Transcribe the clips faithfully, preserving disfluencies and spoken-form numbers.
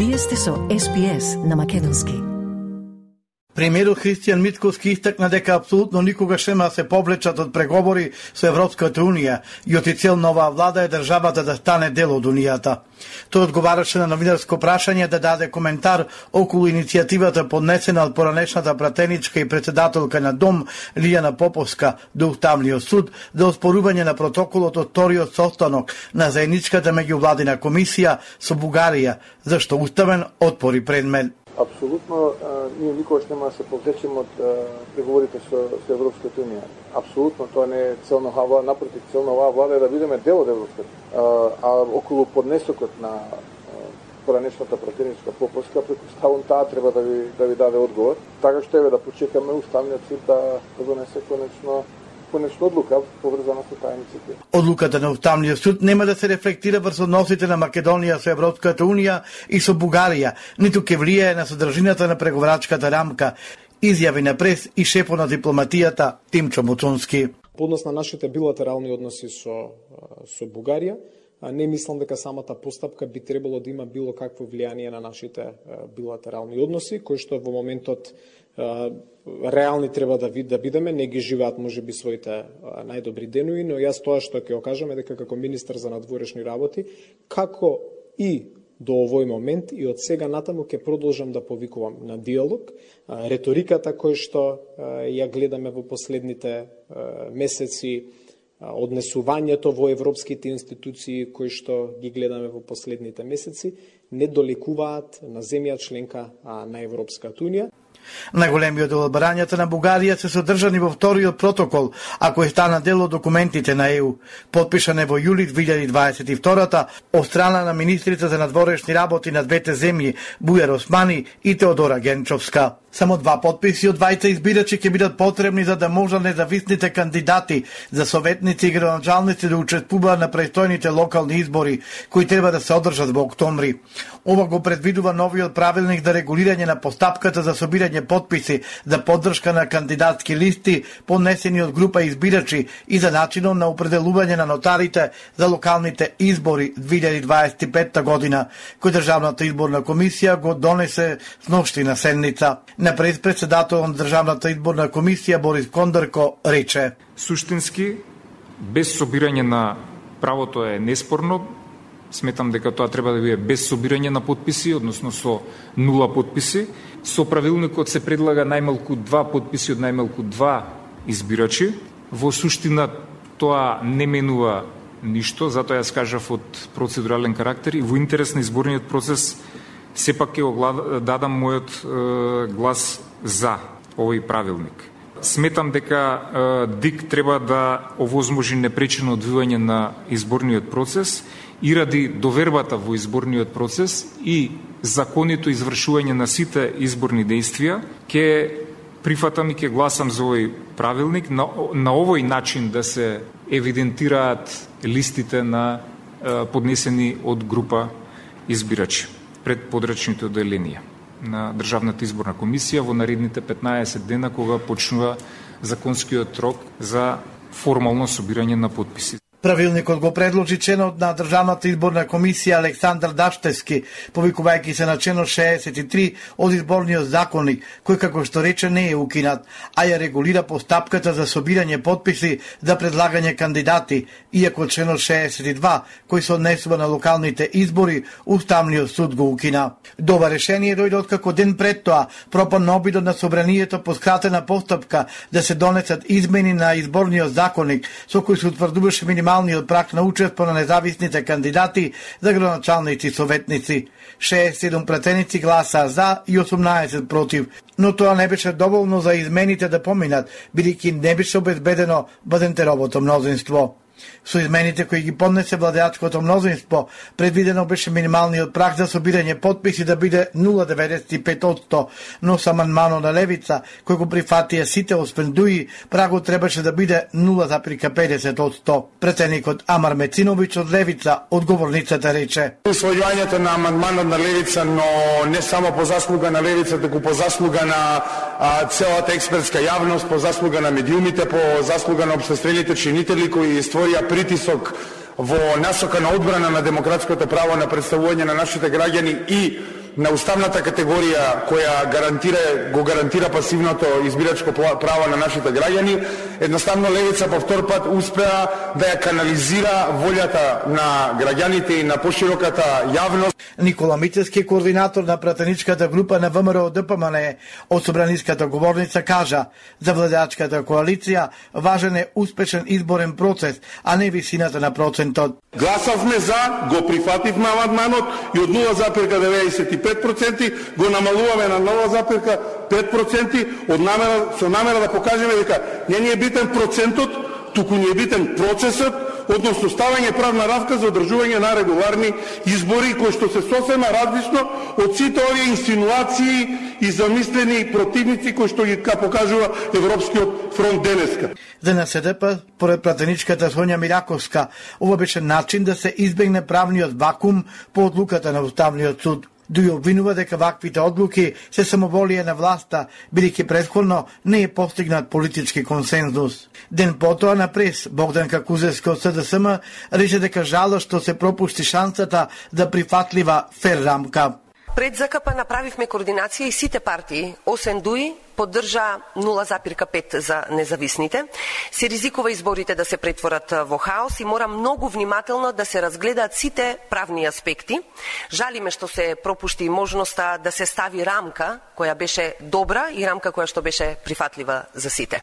Вие сте со Ес Би Ес на македонски. Премиерот Христијан Мицкоски истакна дека апсолутно никогаш нема да се повлечат од преговори со Европската унија и официјал на оваа влада е државата да стане дел од унијата. Тој одговараше на новинарско прашање да даде коментар околу иницијативата поднесена од поранешната пратеничка и председателка на Дом Лијана Поповска до Уставниот суд за оспорување на протоколот од вториот состанок на заедничката меѓувладина комисија со Бугарија, зашто уставен отпори предмет. Апсолутно, ние никогаш нема да се повлечеме од преговорите со, со Европската унија. Апсолутно, тоа не е цел на оваа, напротив, цел на оваа влада е да бидеме дел од Европската. А, а околу поднесокот на поранешната пратеничка Поповска, претпоставувам таа треба да ви да ви даде одговор. Така што еве да почекаме Уставниот суд да, да донесе конечно конечно одлука поврзана со таа иницијатива. Одлуката на Уставниот суд нема да се рефлектира врз односите на Македонија со Европската унија и со Бугарија, ниту ќе влијае на содржината на преговарачката рамка, изјави на прес и шефот на дипломатијата Тимчо Муцунски. По однос на нашите билатерални односи со со Бугарија, не мислам дека самата постапка би требало да има било какво влијание на нашите билатерални односи, кои што во моментот реални треба да вид да бидеме, не ги живеат можеби своите најдобри денови, но јас тоа што ќе го кажам е дека како министар за надворешни работи, како и до овој момент и од сега натаму ќе продолжам да повикувам на диалог. Реториката која што ја гледаме во последните месеци, однесувањето во европските институции кои што ги гледаме во последните месеци, не долекуваат на земја членка на Европската унија. Најголемиот дел од барањата на Бугарија се содржани во вториот протокол, а кој стана дел од документите на Е У, потпишане во јули две илјади дваесет и втора од страна на министрите за надворешни работи на двете земји Бујар Османи и Теодора Генчовска. Само два подписи од двајца избирачи ќе бидат потребни за да можат независните кандидати за советници и градоначалници да учествуваат на престојните локални избори, кои треба да се одржат во октомври. Ова го предвидува новиот правилник за регулирање на постапката за собирање подписи за поддршка на кандидатски листи поднесени од група избирачи и за начинот на определување на нотарите за локалните избори две илјади дваесет и петта година, кој Државната изборна комисија го донесе сношти на седница. На председател на Државната изборна комисија Борис Кондарко рече: Суштински, без собирање на правото е неспорно. Сметам дека тоа треба да биде без собирање на подписи, односно со нула подписи. Со правилникот се предлага најмалку два подписи од најмалку два избирачи. Во суштина тоа не менува ништо, затоа јас кажав од процедурален карактер и во интерес на изборниот процес сепак ќе го дадам мојот е, глас за овој правилник. Сметам дека е, ДИК треба да овозможи непречено одвивање на изборниот процес и ради довербата во изборниот процес и законито извршување на сите изборни дејствија, ќе прифатам и ќе гласам за овој правилник на, на овој начин да се евидентираат листите на е, поднесени од група избирачи пред подрачните оделенија на Државната изборна комисија во наредните петнаесет дена кога почнува законскиот рок за формално собирање на подписи. Правилникот го предложи членот на Државната изборна комисија Александар Даштевски, повикувајќи се на членот шеесет и три од изборниот законник, кој како што рече не е укинат, а ја регулира постапката за собирање подписи за предлагање кандидати, иако членот шеесет и два, кој се однесува на локалните избори, Уставниот суд го укина. Дова решение дојде откако ден пред тоа пропадна обидот на собранието по скратена постапка да се донесат измени на изборниот законник, со кој се утврдуваше минималниот минималниот праг на учество на независните кандидати за градоначалници и советници. шеесет и седум пратеници гласаа за и осумнаесет против, но тоа не беше доволно за измените да поминат, бидејќи не беше обезбедено бадентеровото мнозинство. Со измените кои ги поднесе владеачкото мнозинство, предвидено беше минималниот праг за собирање подписи да биде нула целу деветдесет и пет одсто, но со амандманот на Левица, кој го прифатија сите освен ДУИ, прагот требаше да биде нула целу педесет одсто. Претеникот Амар Мециновиќ од Левица, одговорницата рече: Усвојувањето на амандманот на Левица, но не само по заслуга на Левица, туку по заслуга на а, целата експертска јавност, по заслуга на медиумите, по заслуга на општествените чинители кои створија притисок во насока на одбрана на демократското право на представување на нашите граѓани и на уставната категорија која гарантира го гарантира пасивното избирачко право на нашите граѓани, едноставно левица по втор пат успеа да ја канализира волјата на граѓаните и на пошироката јавност. Никола Мицевски, координатор на пратеничката група на ВМРО Д П М Н, од собраниската говорница кажа: за владеачката коалиција важен е успешен изборен процес, а не висината на процентот. Гласавме за, го прифативме амандманот и од нула зарез деветдесет и пет проценти го намалуваме на нула зарез пет проценти од намера, со намера да покажеме дека не ни е битен процентот, туку ни е битен процесот, односно ставање правна рамка за одржување на регуларни избори, кои што се сосема различно од сите овие инсинуации и замислени противници кои што ги покажува Европскиот фронт денеска. За Н С Д П, поред пратеничката Сонја Мираковска, ова беше начин да се избегне правниот вакуум по одлуката на Уставниот суд. Дуј обвинува дека ваквите одлуки се самоволие на власта, бидејќи претходно не е постигнат политички консензус. Ден потоа на прес, Богданка Кузевска од С Д С М рече дека жала што се пропушти шансата за прифатлива фер рамка. Пред З К П направивме координација и сите партии, освен Дуј, поддржа нула зарез пет за независните. Се ризикува изборите да се претворат во хаос и мора многу внимателно да се разгледаат сите правни аспекти. Жалиме што се пропушти можноста да се стави рамка која беше добра и рамка која што беше прифатлива за сите.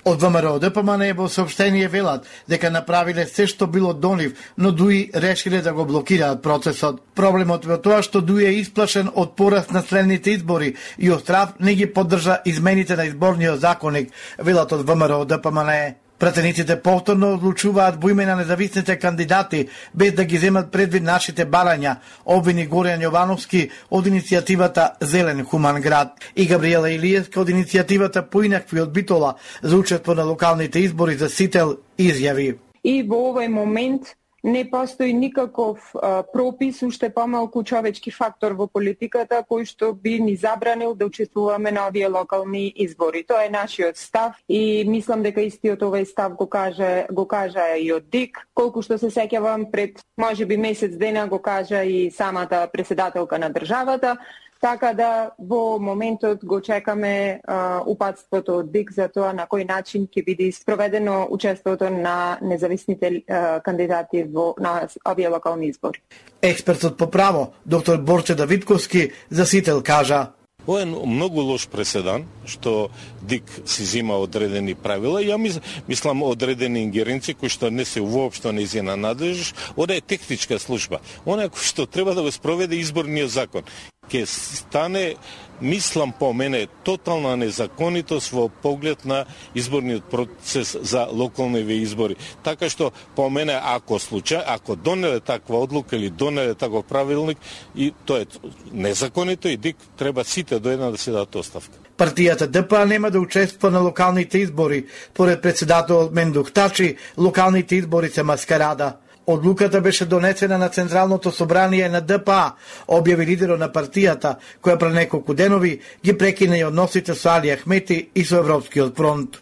Од ВМРО Д П М Н во соопштение велат дека направиле се што било до нив, но Дуј решиле да го блокираат процесот. Проблемот во тоа што Дуј е исплашен од пораст на следните избори и од страв не ги поддржа измените на изборниот законник, велат од ВМРО Д П М Н. Пратениците повторно одлучуваат во име на независните кандидати без да ги земат предвид нашите барања, обвини Горјан Јовановски од иницијативата Зелен хуман град и Габриела Илиевска од иницијативата Поинакви од Битола за учество на локалните избори за Сител изјави. И во овој момент не постои никаков а, пропис, уште помалку човечки фактор во политиката кој што би ни забранил да учествуваме на овие локални избори. Тоа е нашиот став и мислам дека истиот овој став го кажа го кажа и од ДИК. Колку што се сеќавам, пред можеби месец дена го кажа и самата претседателка на државата. Така да во моментот го чекаме а, упатството од ДИК за тоа на кој начин ќе биде спроведено учеството на независните а, кандидати во на овие локални избори. Експертот по право, доктор Борче Давидковски, за Сител кажа: Ова е многу лош преседан, што ДИК си зима одредени правила. Ја мис, мислам одредени ингеренции кои што не се воопшто нејзина надлежност. Ова е техничка служба. Она кој што треба да го спроведе изборниот закон. Ке стане, мислам по мене, тотална незаконитост во поглед на изборниот процес за локалните избори. Така што по мене, ако случај, ако донеле таква одлука или донеле таков правилник, и тоа е незаконито и ДИК треба сите до една да се дадат оставка. Партијата Д П А нема да учествува на локалните избори. Поред председателот Мендух Тачи, локалните избори се маскарада. Одлуката беше донесена на Централното собрание на Д П А, објави лидерот на партијата, која пред неколку денови ги прекина и односите со Али Ахмети и со Европскиот фронт.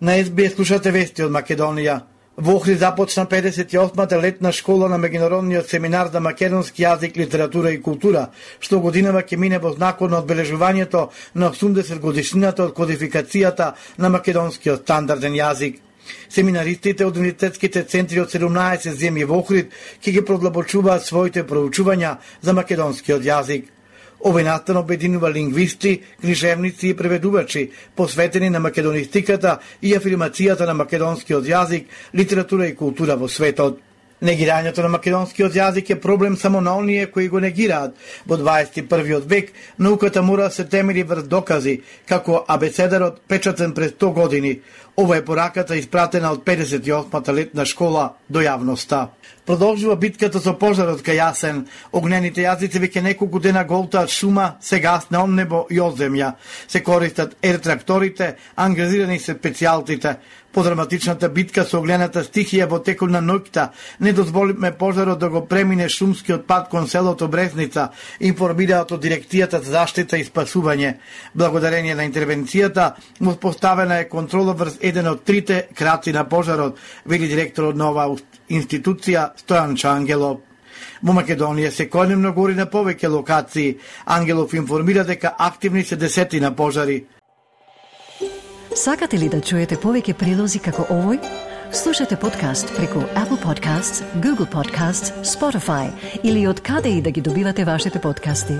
На Ес Би Ес слушате вести од Македонија. Во Охрид започна педесет и осмата летна школа на меѓународниот семинар за македонски јазик, литература и култура, што годинава ќе мине во знакот на одбележувањето на осумдесет годишнината од кодификацијата на македонскиот стандарден јазик. Семинаристите од универзитетските центри од седумнаесет земји во Охрид ќе ги продлабочуваат своите проучувања за македонскиот јазик. Овој настан обединува лингвисти, книжевници и преведувачи, посветени на македонистиката и афирмацијата на македонскиот јазик, литература и култура во светот. Негирањето на македонскиот јазик е проблем само на оние кои го негираат. Во дваесет и првиот век науката мора да се темели врз докази, како абецедарот печатен пред сто години. Ова е пораката испратена од педесет и осмата летна школа до јавноста. Продолжува битката со пожарот кај Јасен. Огнените јазици веќе неколку дена голтаат шума, се гасне он небо и од земја. Се користат ер-тракторите, ангажирани се специјалтите. По драматичната битка со огнената стихија во текот на ноќта не дозволиме пожарот да го премине шумскиот пат кон селото Брезница, информираат од дирекцијата за заштита и спасување. Благодарение на интервенцијата, воспоставена е контрола врз еден од трите краци на пожарот, вели директорот на оваа институција Стојан Чангелов. Во Македонија секојдневно гори на повеќе локации. Ангелов информира дека активни се десетина пожари. Сакате ли да чуете повеќе прилози како овој? Слушате подкаст преку Apple Podcasts, Google Podcasts, Spotify или од каде и да ги добивате вашите подкасти.